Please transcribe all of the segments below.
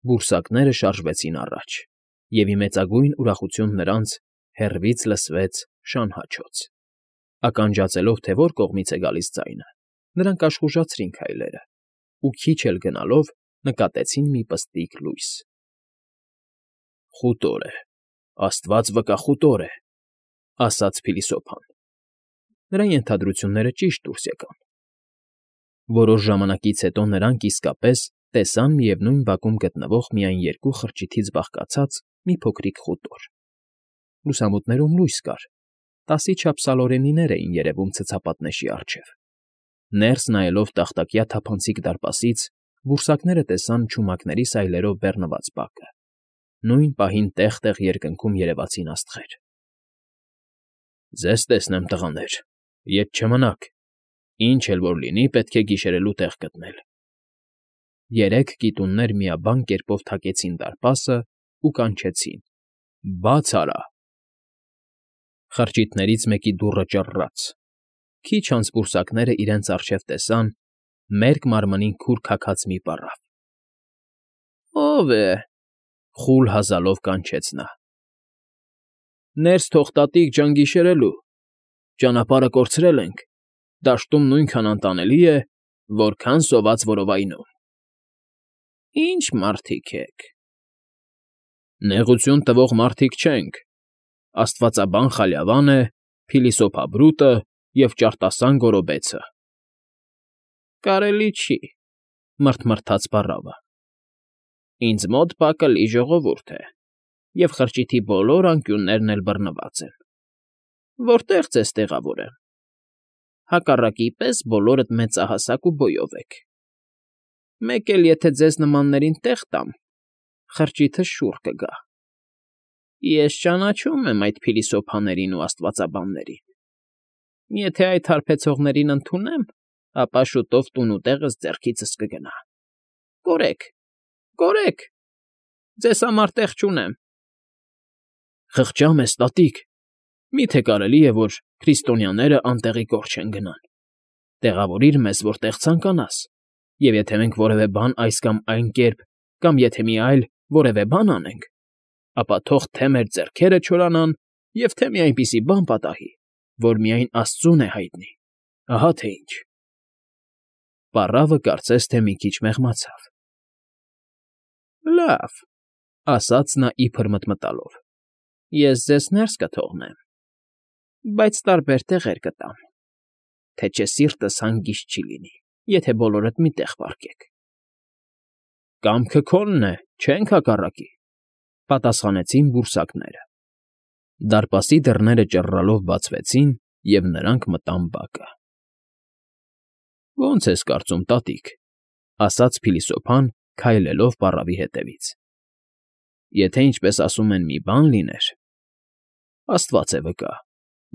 Բուրսակները շարժվեցին առաջ, և ի մեծագույն ուրախություն նրանց հեռվից լսվեց շանհաչոց. ականջացելով, թե որ կողմից է գալիս ձայնը, նրանք աշխուժացրին քայլերը ու քիչ էլ գնալով նկատեցին մի պստիկ լույս։ «Խուտոր է, աստված վկա, խուտոր է», ֊ ասաց փիլիսոփան։ Նրա ենթադրությունները ճիշտ դուրս եկան։ Որոշ ժամանակից հետո նրանք իսկապես տեսան միևնույն բակում գտնվող միայն երկու խրճիթից բաղկացած մի փոքրիկ խուտոր։ Լուսամուտներում լույս կար, 10-ի չափ սալորենիներ էին երևում ցցապատնեշի առջև։ Ներս նայելով տախտակյա թափանցիկ դարպասից, բուրսակները տեսան չումակների սայլերով բեռնված բակը։ Նույն պահին տեղ֊տեղ երկնքում երևացին աստղեր։ «Ձեզ տեսնեմ, տղաներ, ետ չմնաք, ինչ էլ որ լինի, պետք է գիշերելու տեղ գտնել»։ Երեք կիտուններ միաբան կերպով թակեցին դարպասը ու կանչեցին. «Բա՛ց արա»։ Խրճիթներից մեկի դուռը ճռռաց։ Քիչ անց բուրսակները իրենց առջև տեսան մերկ մարմնին քուր քաքած մի պառավ։ «Ո՞վ է,֊ խուլ հազալով կանչեց նա։ «Ներս թող, տատիկ ջան, գիշերելու, ճանապարհը կորցրել ենք, դաշտում նույնքան անտանելի է, որքան սոված որովայնում»։ «Ի՞նչ մարդիկ եք»։ «Նեղություն տվող մարդիկ չենք, աստվածաբան Խալյավան է, փիլիսոփա Բրուտը և ճարտասան Գորոբեցը»։ «Կարելի չի,֊ մռթմռթաց պառավը։ Ինձ մոտ պակլի ժողովուրդ է, և խրճիթի բոլոր անկյուններն էլ բռնված են։ Որտե՞ղ ձեզ տեղավորեմ։ Հակառակի պես բոլորդ մեծահասակ ու բոյով եք։ Մեկ էլ եթե ձեզ նմաններին տեղ տամ, խրճիթը շուռ կգա։ Ես ճանաչում եմ այդ փիլիսոփաներին ու աստվածաբաններին։ Եթե այդ հարբեցողներին ընդունեմ, ապա շուտով տուն ու տեղս ձեռքիցս կգնա։ Կորեք, կորեք, ձեզ համար տեղ չունեմ։ «Խղճա մեզ, տատիկ, մի՞թե կարելի է, որ քրիստոնյաները անտեղի կոր չեն գնան։ Տեղավորիր մեզ, որտեղ ցանկանաս, և եթե մենք որևէ բան այս կամ այն կերպ, կամ եթե մի այլ որևէ բան անենք, ապա թող թե մեր ձեռքերը չորանան և թե մի այնպիսի բան պատահի, որ միայն աստծուն է հայտնի, ահա թե ինչ»։ Պառավը կարծես թե մի քիչ մեղմացավ։ «Լավ,֊ ասաց նա իբր մտմտալով,֊ ես ձեզ ներս կթողնեմ, բայց տարբեր տեղեր կտամ, թե չէ սիրտս հանգիստ չի լինի, եթե բոլորդ մի տեղ պառկեք»։ «Կամքը քոնն է, չենք հակառակի,֊ պատասխանեցին բուրսակները։ Դարպասի դռները ճռռալով բացվեցին, և նրանք մտան բակը։ «Ո՞նց ես կարծում, տատիկ,֊ ասաց փիլիսոփան, քայլելով պառավի հետևից,֊ եթե, ինչպես ասում են, մի բան լիներ… Աստված է վկա,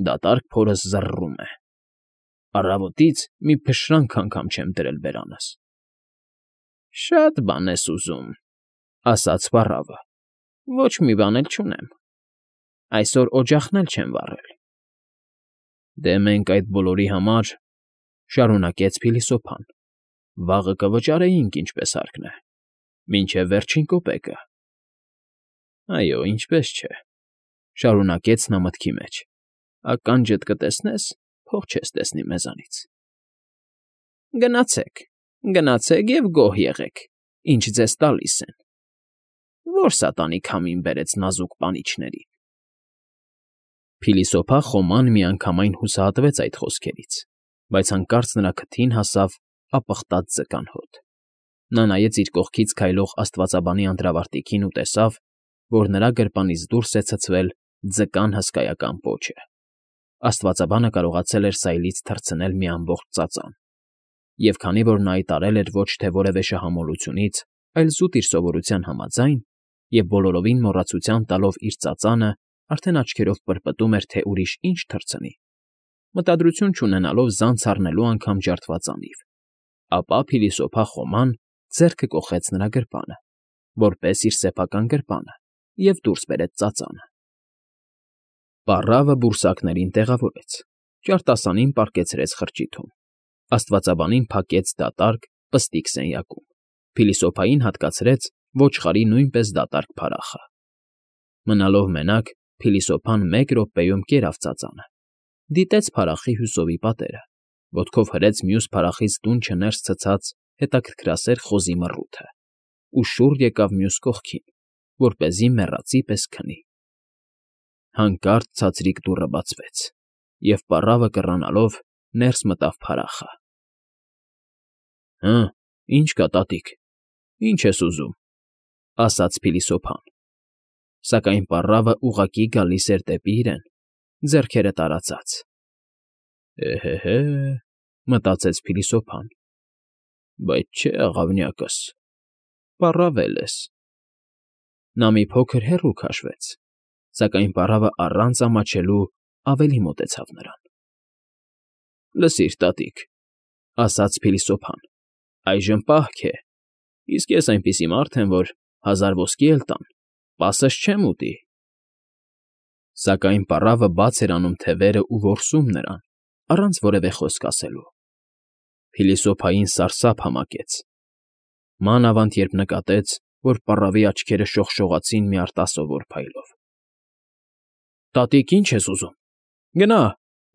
դատարկ փորս զռռում է… Առավոտից մի փշրանք անգամ չեմ դրել բերանս»։ «Շատ բան ես ուզում,֊ ասաց պառավը,֊ ոչ մի բան էլ չունեմ… Այսօր օջախն էլ չեմ վառել»։ «Դե մենք այդ բոլորի համար,֊ շարունակեց փիլիսոփան,֊ վաղը կվճարեինք, ինչպես հարկն է, մինչև վերջին կոպեկը»։ «Այո, ինչպես չէ,֊ շարունակեց նա մտքի մեջ,֊ ականջդ կտեսնես, փող չես տեսնի մեզանից»։ «Գնացեք, գնացեք և գոհ եղեք, ինչ ձեզ տալիս են… Ո՞ր սատանի քամին բերեց նազուկ պանիչներին»։ Փիլիսոփա Խոման միանգամայն հուսահատվեց այդ խոսքերից, բայց հանկարծ նրա քթին հասավ ապխտած ձկան հոտ։ Նա նայեց իր կողքից քայլող աստվածաբանի անդրավարտիքին ու տեսավ, որ նրա գրպանից դուրս է ցցվել ձկան հսկայական պոչը։ Աստվածաբանը կարողացել էր սայլից թռցնել մի ամբողջ ծածան, և քանի որ նա այդ արել էր ոչ թե որևէ շահամոլությունից, այլ զուտ իր սովորության համաձայն, և բոլորովին մոռացության տալով իր ծածանը, արդեն աչքերով պրպտում էր, թե ուրիշ ինչ թռցնի, մտադրություն չունենալով զանց առնելու անգամ ջարդված անիվ, ապա փիլիսոփա Խոման ձեռքը կոխեց նրա գրպանը, որպես իր սեփական գրպանը, և դուրս բերեց ծածանը։ Պառավը բուրսակներին տեղավորեց, ճարտասանին պառկեցրեց խրճիթում, աստվածաբանին փակեց դատարկ, պստիկ սենյակում, փիլիսոփային հատկացրեց, ոչխարի նույնպես դատարկ փարախը։ Մնալով մենակ, փիլիսոփան 1 րոպեում կերավ ծածանը, դիտեց փարախի հյուսովի պատերը, ոտքով հրեց մյուս փարախից դունչը ներս ցցած հետաքրքրասեր խոզի մռութը ու շուռ եկավ մյուս կողքին, որպեսզի մեռածի պես քնի։ Հանկարծ ցածրիկ դուռը բացվեց, և պառավը կռանալով ներս մտավ փարախը։ «Հը, ի՞նչ կա, տատիկ, ի՞նչ ես ուզում», ասաց փիլիսոփան, սակայն պառավը ուղղակի գալիս էր դեպի իրեն, ձեռքերը տարածած։ «Էհե՜, մտածեց փիլիսոփան, բայց չէ, աղավնյակս, պառավել ես»։ Նա մի փոքր հեռու քաշվեց, սակայն պառավը առանց ամաչելու ավելի մոտեցավ նրան։ «Լսիր, տատիկ», ասաց փիլիսոփան, այժմ պահք է, իսկ ես այնպիսի մարդ եմ, որ 1000 ոսկի էլ տան, պասս չեմ ուտի։ Սակայն պառավը բաց էր անում թևերն ու որսում նրան, առանց որևէ խոսք ասելու։ Փիլիսոփային սարսափ համակեց, մանավանդ երբ նկատեց, որ պառավի աչքերը շողշողացին մի արտասովոր փայլով։ «Տատիկ, ի՞նչ ես ուզում,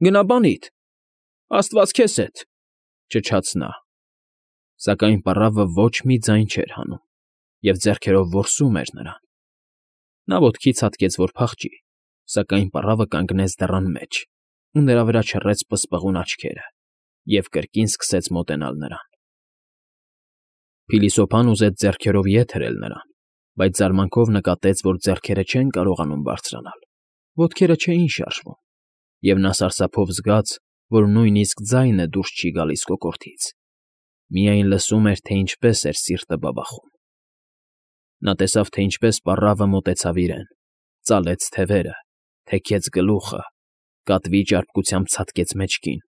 գնա բանիդ, աստված քեզ հետ», ճչաց նա։ Սակայն պառավը ոչ մի ձայն չէր հանում և ձեռքերով որսում էր նրան։ Նա ոտքի ցատկեց, որ փախչի, սակայն պառավը կանգնեց դռան մեջ ու նրա վրա չռեց պսպղուն աչքերը և կրկին սկսեց մոտենալ նրան։ Փիլիսոփան ուզեց ձեռքերով ետ հրել նրան, բայց զարմանքով նկատեց, որ ձեռքերը չեն կարողանում բարձրանալ, ոտքերը չէին շարժվում, և նա սարսափով զգաց, որ նույնիսկ ձայնը դուրս չի գալիս կոկորդից, միայն լսում էր, թե ինչպես էր սիրտը բաբախում։ Նա տեսավ, թե ինչպես պառավը մոտեցավ իրեն, ծալեց թևերը, թեքեց գլուխը, կատվի ճարպկությամբ ցատկեց մեջքին,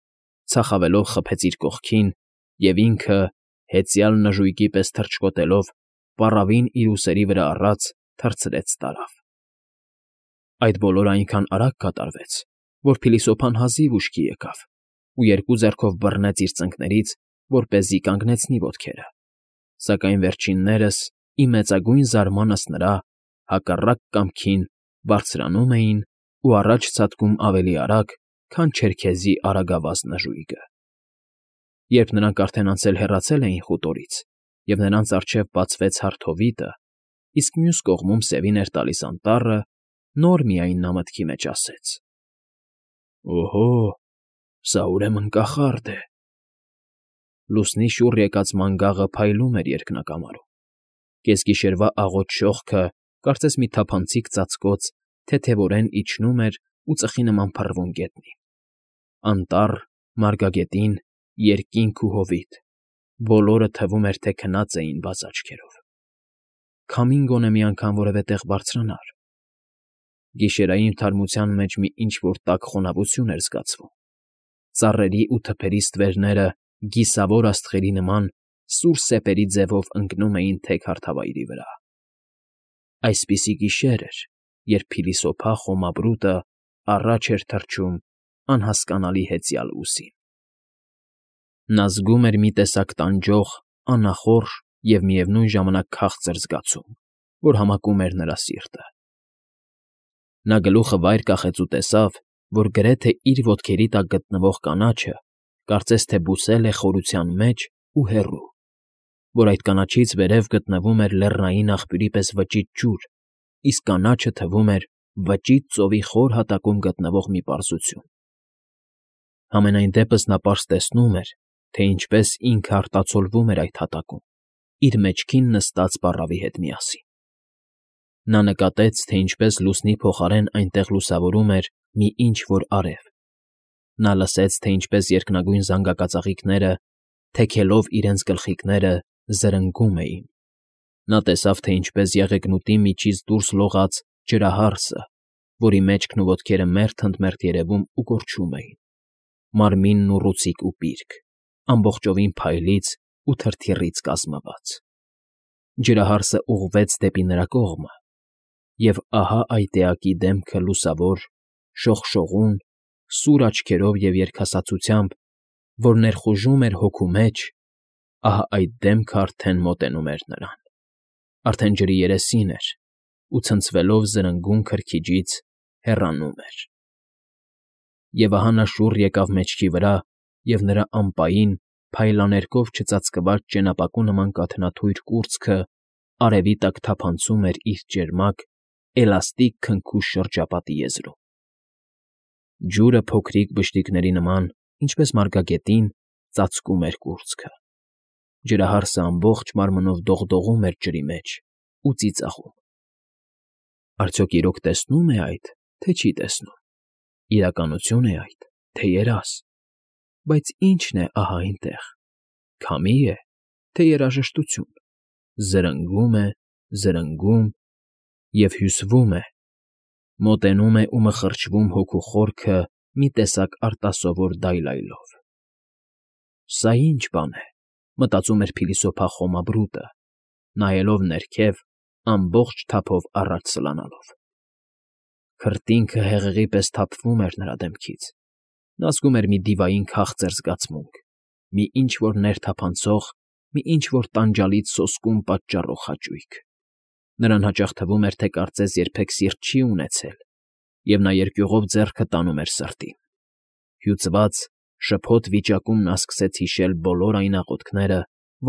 ցախավելով խփեց իր կողքին և ինքը, հեծյալ նժույգի պես թռչկոտելով, պառավին իր ուսերի վրա առած թռցրեց տարավ։ Այդ բոլորը այնքան արագ կատարվեց, որ փիլիսոփան հազիվ ուշքի եկավ ու երկու ձեռքով բռնեց իր ծնկներից, որպեսզի կանգնեցնի ոտքերը, սակայն վերջիններս, ի մեծագույն զարմանս նրա, հակառակ կամքին բարձրանում էին ու առաջ ցատկում ավելի արագ, քան չերքեզի արագավազ նժույգը։ Երբ նրանք արդեն անցել հեռացել էին խուտորից, և նրանց առջև բացվեց հարթ հովիտը, իսկ մյուս կողմում սևին էր տալիս անտառը, նոր միայն նա մտքի մեջ ասեց. «Օհո, սա ուրեմն կախարդ է»։ Լուսնի շուռ եկած մանգաղը փայլում էր երկնակամարում, կեսգիշերվա աղոտ շողքը կարծես մի թափանցիկ ծածկոց թեթևորեն իջնում էր ու ծխի նման փռվում գետնին։ Անտառ, մարգագետին, երկինք ու հովիտ, բոլորը թվում էր, թե քնած էին բաց աչքերով։ Քամին գոնե մի անգամ որևէ տեղ բարձրանար։ Գիշերային թարմության մեջ մի ինչ֊որ տաք խոնավություն էր զգացվում։ Ծառերի ու թփերի ստվերները գիսավոր աստղերի նման սուր սեպերի ձևով ընկնում էին թեք հարթավայրի վրա։ Այսպիսի գիշեր էր, երբ փիլիսոփա խոմաբրուտը առաջ էր թռչում անհասկանալի հեծյալ ուսին։ Նա զգում էր մի տեսակ տանջող, անախորժ և միևնույն ժամանակ քաղցր զգացում, որ համակում էր նրա սիրտը։ Նա գլուխը վայր կախեց ու տեսավ, որ գրեթե իր ոտքերի տակ գտնվող կանաչը կարծես թե բուսել է խորության մեջ ու հեռու, որ այդ կանաչից վերև գտնվում էր լեռնային աղբյուրի պես վճիտ ջուր, իսկ կանաչը թվում էր վճիտ ծովի խոր հատակում գտնվող մի պարզություն։ Համենայն դեպս նա պարզ տեսնում էր, թե ինչպես ինքը արտացոլվում էր այդ հատակում, իր մեջքին նստած պառավի հետ միասին։ Նա նկատեց, թե ինչպես լուսնի փոխարեն այնտեղ լուսավորում էր մի ինչ֊որ արև։ Նա լսեց, թե ինչպես երկնագույն զանգակածաղիկները, թեքելով իրենց գլխիկները, զրնգում էին։ Նա տեսավ, թե ինչպես եղեգնուտի միջից դուրս լողաց ջրահարսը, որի մեջքն ու ոտքերը մերթ֊ընդ-մերթ երևում ու կորչում էին, մարմինն ուռուցիկ ու պիրկ, ամբողջովին փայլից ու թրթիռից կազմված։ Ջրահարսը ուղղվեց դեպի նրա կողմը, և ահա այդ էակի դեմքը լուսավոր, շողշողուն, սուր աչքերով և երկհասացությամբ, որ ներխուժում էր հոգու մեջ, ահա այդ դեմքը արդեն մոտենում էր նրան։ Արդեն ջրի երեսին էր ու ցնցվելով զրնգուն քրքիջից հեռանում էր։ Եվ ահա նա շուռ եկավ մեջքի վրա, և նրա ամպային, փայլաներկով չծածկված ճենապակու նման կաթնաթույր կուրծքը արևի տակ թափանցում էր իր ճերմակ, էլաստիկ քնքուշ շրջապատի եզրում։ Ջուրը փոքրիկ բշտիկների նման, ինչպես մարգագետին, ծածկում էր կուրծքը։ Ջրահարսը ամբողջ մարմնով դողդողում էր ջրի մեջ ու ծիծաղում։ Արդյոք իրոք տեսնո՞ւմ է այդ, թե չի տեսնում։ Իրականություն է այդ, թե երազ։ Բայց ի՞նչն է ահա այնտեղ։ Քամի՞ է, թե երաժշտություն։ Զրնգում է, զրնգում և հյուսվում է, մոտենում է ու մխրճվում հոգու խորքը մի տեսակ արտասովոր դայլայլով։ «Սա ի՞նչ բան է,֊ մտածում էր փիլիսոփա Խոմաբրուտը, նայելով ներքև, ամբողջ թափով առաջ սլանալով։ Քրտինքը հեղեղի պես թափվում էր նրա դեմքից։ Նա զգում էր մի դիվային քաղցր զգացմունք, մի ինչ֊որ ներթափանցող, մի ինչ֊որ տանջալից սոսկում պատճառող հաճույք։ Նրան հաճախ թվում էր, թե կարծես երբեք սիրտ չի ունեցել, և նա երկյուղով ձեռքը տանում էր սրտին։ Հյուծված, շփոթ վիճակում նա սկսեց հիշել բոլոր այն աղոթքները,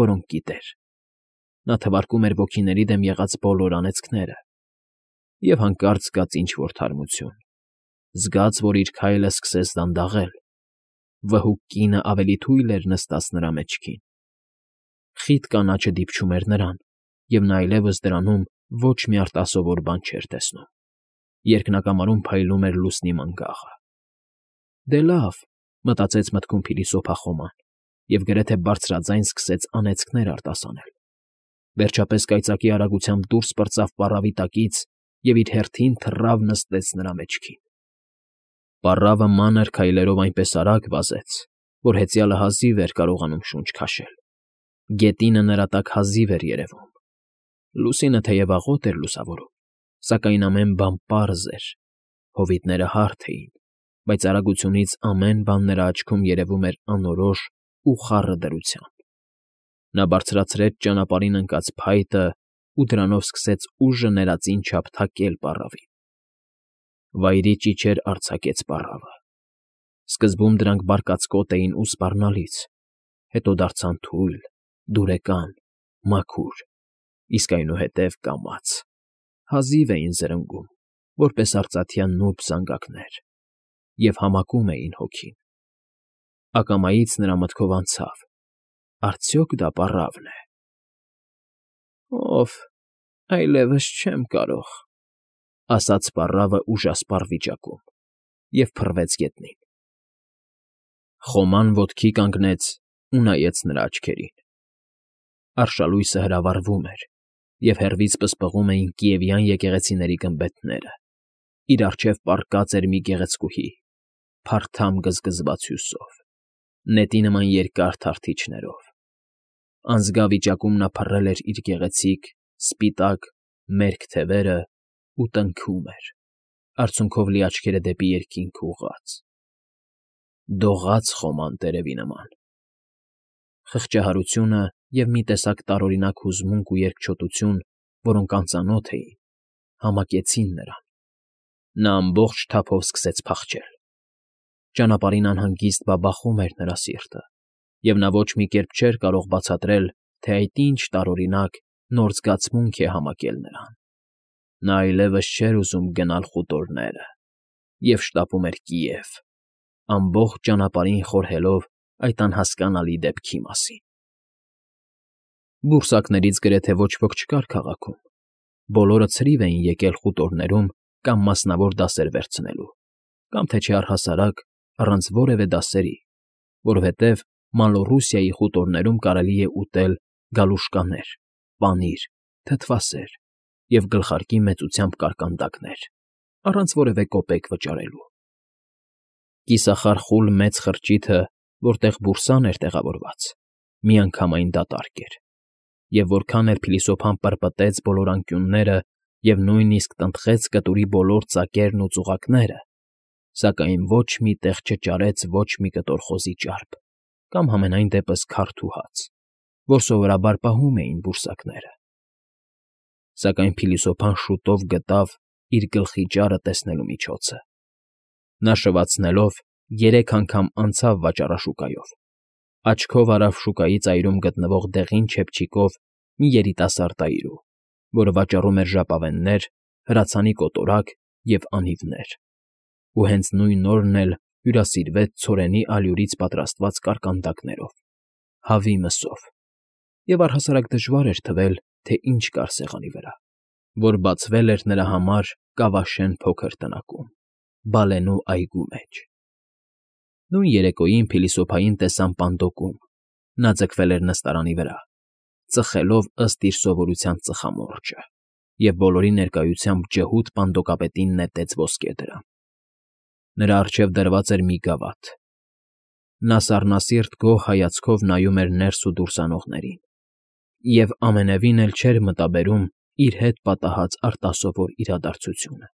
որոնք գիտեր։ Նա թվարկում էր ոգիների դեմ եղած բոլոր անեծքները։ Եվ հանկարծ զգաց ինչ֊որ թարմություն։ Զգաց, որ իր քայլը սկսեց դանդաղել։ Վհուկ կինը ավելի թույլ էր նստած նրա մեջքին։ Խիտ կանաչը դիպչում էր նրան, և նա այլևս դրանում ոչ մի արտասովոր բան չէր տեսնում։ Երկնակամարում փայլում էր լուսնի մանգաղը։ «Դե լավ,֊ մտածեց մտքում փիլիսոփա Խոման, և գրեթե բարձրաձայն սկսեց անեծքներ արտասանել։ Վերջապես կայծակի արագությամբ դուրս պրծավ պառավի տակից և իր հերթին թռավ նստեց նրա մեջքին։ Պառավը մանր քայլերով այնպես արագ վազեց, որ հեծյալը հազիվ էր կարողանում շունչ քաշել։ Գետինը նրա տակ հազիվ էր երևում։ Լուսինը թեև աղոտ էր լուսավորում, սակայն ամեն բան պարզ էր։ Հովիտները հարթ էին, բայց արագությունից ամեն բան նրա աչքում երևում էր անորոշ ու խառը դրությամբ։ Նա բարձրացրեց ճանապարհին ընկած փայտը ու դրանով սկսեց ուժը ներածին չափ թակել պառավին։ Վայրի ճիչեր արձակեց պառավը։ Սկզբում դրանք բարկացկոտ էին ու սպառնալից, հետո դարձան թույլ, դուրեկան, մաքուր, իսկ այնուհետև կամաց։ Հազիվ էին զրնգում, որպես արծաթյան նուրբ զանգակներ, և համակում էին հոգին։ Ակամայից նրա մտքով անցավ. «Արդյոք դա պառավն է»։ «Ով, այլևս չեմ կարող,֊ ասաց պառավը ուժասպառ վիճակում և փռվեց գետնին։ Խոման ոտքի կանգնեց ու նայեց նրա աչքերին։ Արշալույսը հրավառվում էր, և հեռվից պսպղում էին կիևյան եկեղեցիների գմբեթները։ Իր առջև պառկած էր մի գեղեցկուհի, փարթամ գզգզված հյուսով, նետի նման երկար թարթիչներով։ Անզգա վիճակում նա փռել էր իր գեղեցիկ, սպիտակ, մերկ թևերը ու տնքում էր, արցունքով լի աչքերը դեպի երկինք ուղղած։ Դողաց խոման տերևի նման։ Խղճահարությունը և մի տեսակ տարօրինակ հուզմունք ու երկչոտություն, որոնք անծանոթ էին, համակեցին նրան։ Նա ամբողջ թափով սկսեց փախչել։ Ճանապարհին անհանգիստ բաբախում էր նրա սիրտը, և նա ոչ մի կերպ չէր կարող բացատրել, թե այդ ինչ տարօրինակ, նոր զգացմունք է համակել նրան։ Նա այլևս չէր ուզում գնալ խուտորները և շտապում էր Կիև, ամբողջ ճանապարհին խորհելով այդ անհասկանալի դեպքի մասին։ Բուրսակներից գրեթե ոչ ոք չկար քաղաքում։ Բոլորը ցրիվ էին եկել խուտորներում կամ մասնավոր դասեր վերցնելու, կամ թե չէ առհասարակ առանց որևէ դասերի, որովհետև Մալոռուսիայի խուտորներում կարելի է ուտել գալուշկաներ, պանիր, թթվասեր և գլխարկի մեծությամբ կարկանդակներ, առանց որևէ կոպեկ վճարելու։ Կիսախար խուլ մեծ խրճիթը, որտեղ բուրսան էր տեղավորված, միանգամայն դատարկ էր, և որքան էլ փիլիսոփան պրպտեց բոլոր անկյունները և նույնիսկ տնտղեց կտուրի բոլոր ծակերն ու ծուղակները, սակայն ոչ մի տեղ չճարեց ոչ մի կտոր խոզի ճարպ կամ համենայն դեպս քարդ ու հաց, որ սովորաբար պահում էին բուրսակները։ Սակայն փիլիսոփան շուտով գտավ իր գլխի ճարը տեսնելու միջոցը։ Նա շվացնելով 3 անգամ անցավ վաճառաշուկայով, աչքով արավ շուկայի ծայրում գտնվող դեղին չեփչիկով մի երիտասարդ այրու, որը վաճառում էր ժապավեններ, հրացանի կոտորակ և անիվներ, ու հենց նույն օրն էլ հյուրասիրվեց ցորենի ալյուրից պատրաստված կարկանդակներով, հավի մսով, և առհասարակ դժվար էր թվել, թե ինչ կար սեղանի վրա, որ բացվել էր նրա համար կավաշեն փոքր տնակում, բալենու այգու մեջ։ Նույն երեկոյին փիլիսոփային տեսան պանդոկում, նա ձգվել էր նստարանի վրա, ծխելով ըստ իր սովորության ծխամորճը, և բոլորի ներկայությամբ ջհուդ պանդոկապետին նետեց ոսկե դրամ։ Նրա առջև դրված էր մի գավաթ։ Նա սառնասիրտ գոհ հայացքով նայում էր ներս ու դուրս անողներին և ամենևին էլ չէր մտաբերում իր հետ պատահած արտասովոր իրադարձությունը։